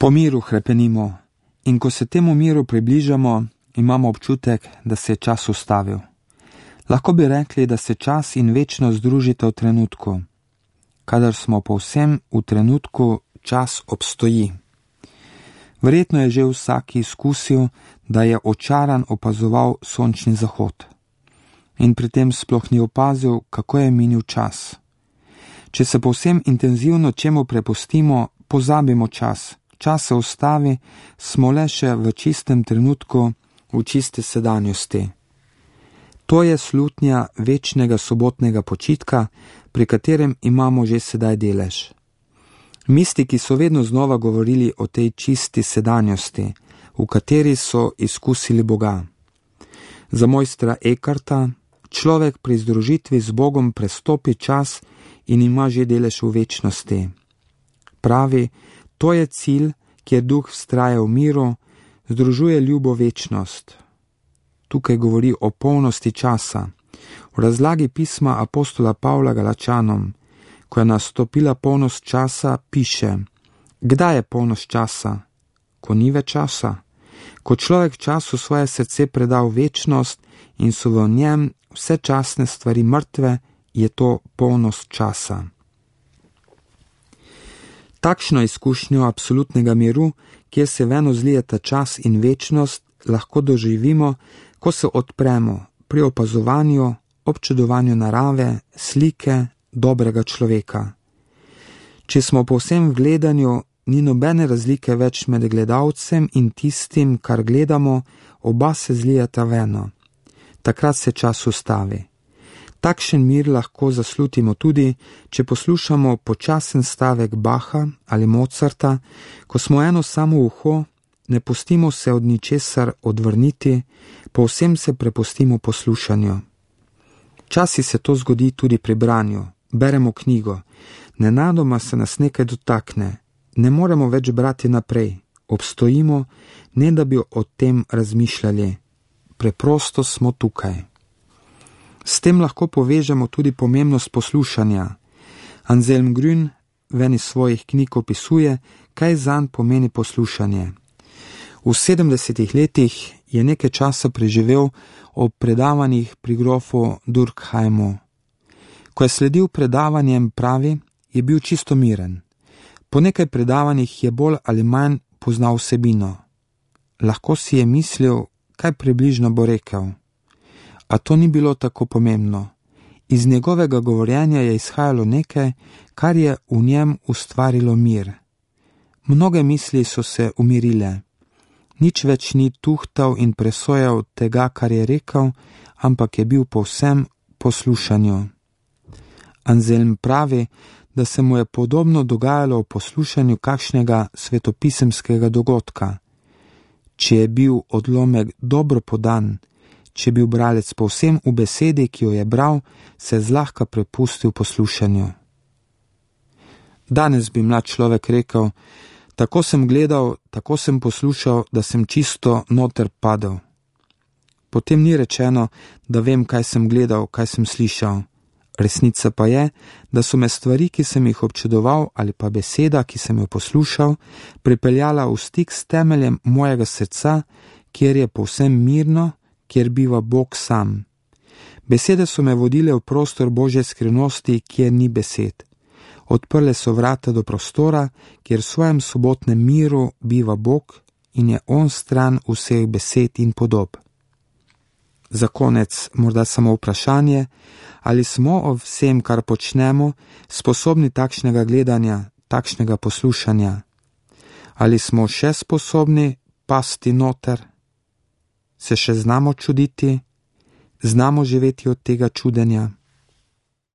Po miru hrepenimo in ko se temu miru približamo, imamo občutek, da se je čas ustavil. Lahko bi rekli, da se čas in večnost združita v trenutku. Kadar smo povsem v trenutku, čas obstoji. Verjetno je že vsak izkusil, da je očaran opazoval sončni zahod. In pri tem sploh ni opazil, kako je minil čas. Če se povsem intenzivno čemu prepustimo, pozabimo čas. Čas se ustavi, smo le še v čistem trenutku, v čisti sedanjosti. To je slutnja večnega sobotnega počitka, pri katerem imamo že sedaj delež. Mistiki so vedno znova govorili o tej čisti sedanjosti, v kateri so izkusili Boga. Za mojstra Eckarta človek pri združitvi z Bogom prestopi čas in ima že delež v večnosti. Pravi, to je cilj, kjer duh vztraja v miru, združuje ljubo večnost. Tukaj govori o polnosti časa. V razlagi pisma apostola Pavla Galačanom, ko je nastopila polnost časa, piše: Kdaj je polnost časa? Ko ni več časa. Ko človek času svoje srce preda v večnost in so v njem vse časne stvari mrtve, je to polnost časa. Takšno izkušnjo absolutnega miru, kjer se veno zlijeta čas in večnost, lahko doživimo, ko se odpremo pri opazovanju, občudovanju narave, slike, dobrega človeka. Če smo povsem v gledanju, ni nobene razlike več med gledalcem in tistim, kar gledamo, oba se zlijata veno. Takrat se čas ustavi. Takšen mir lahko zaslutimo tudi, če poslušamo počasen stavek Bacha ali Mozarta, ko smo eno samo uho, ne pustimo se od ničesar odvrniti, povsem se prepustimo poslušanju. Časi se to zgodi tudi pri branju, beremo knjigo, nenadoma se nas nekaj dotakne, ne moremo več brati naprej, obstojimo, ne da bi o tem razmišljali, preprosto smo tukaj. S tem lahko povežemo tudi pomembnost poslušanja. Anselm Grün v eni svojih knjig opisuje, kaj zanj pomeni poslušanje. V 70 letih je nekaj časa preživel ob predavanjih pri grofu Durkheimu. Ko je sledil predavanjem, pravi, je bil čisto miren. Po nekaj predavanjih je bolj ali manj poznal vsebino. Lahko si je mislil, kaj približno bo rekel. A to ni bilo tako pomembno. Iz njegovega govorjenja je izhajalo nekaj, kar je v njem ustvarilo mir. Mnoge misli so se umirile. Nič več ni tuhtal in presojal tega, kar je rekel, ampak je bil povsem poslušanju. Anselm pravi, da se mu je podobno dogajalo v poslušanju kakšnega svetopisemskega dogodka. Če je bil odlomek dobro podan, če je bil bralec povsem v besedi, ki jo je bral, se zlahka prepustil poslušanju. Danes bi mlad človek rekel, tako sem gledal, tako sem poslušal, da sem čisto noter padel. Potem ni rečeno, da vem, kaj sem gledal, kaj sem slišal. Resnica pa je, da so me stvari, ki sem jih občudoval, ali pa beseda, ki sem jo poslušal, pripeljala v stik s temeljem mojega srca, kjer je povsem mirno, kjer biva Bog sam. Besede so me vodile v prostor Božje skrivnosti, kjer ni besed. Odprle so vrata do prostora, kjer v svojem sobotnem miru biva Bog in je on stran vseh besed in podob. Za konec morda samo vprašanje, ali smo o vsem, kar počnemo, sposobni takšnega gledanja, takšnega poslušanja? Ali smo še sposobni pasti noter? Se še znamo čuditi? Znamo živeti od tega čudenja?